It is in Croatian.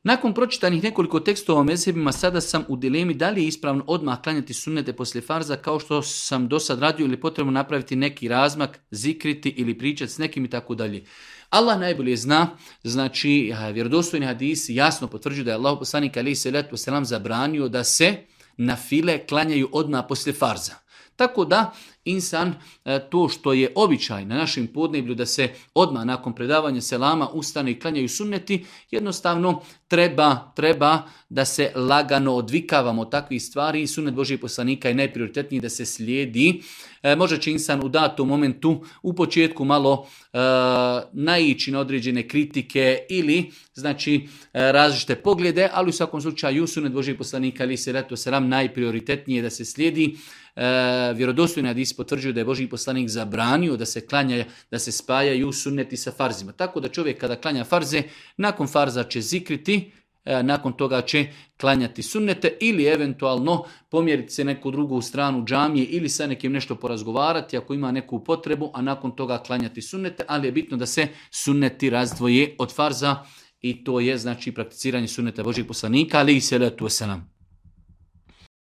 Nakon pročitanih nekoliko tekstova o mezhebima, sada sam u dilemi da li je ispravno odmah klanjati sunnete poslije farza kao što sam do sad radio ili potrebno napraviti neki razmak, zikriti ili pričati s nekim i tako dalje. Allah najbolje zna, znači vjerodostojni hadisi jasno potvrđuju da je Allah poslanik alejhi selatu vesselam zabranio da se na file klanjaju odmah poslije farza. Tako da insan to što je običaj na našem podneblju da se odmah nakon predavanja selama ustane i klanjaju sunneti, jednostavno treba da se lagano odvikavamo od takvih stvari i sunnet Božijeg poslanika je najprioritetniji da se slijedi. Možda će insan u datom momentu u početku malo naići na određene kritike ili znači različite poglede, ali u svakom slučaju sunnet Božijeg poslanika alejhi selatu vesselam najprioritetnije da se slijedi. Vjerodostojni hadis potvrđuju da je Božji poslanik zabranio da se klanja, da se spajaju sunneti sa farzima. Tako da čovjek kada klanja farze, nakon farza će zikriti, nakon toga će klanjati sunnete ili eventualno pomjeriti se neku drugu stranu džamije ili sa nekim nešto porazgovarati ako ima neku potrebu, a nakon toga klanjati sunnete, ali je bitno da se sunneti razdvoje od farza i to je znači prakticiranje sunneta Božjeg poslanika alejhi selatu vesselam.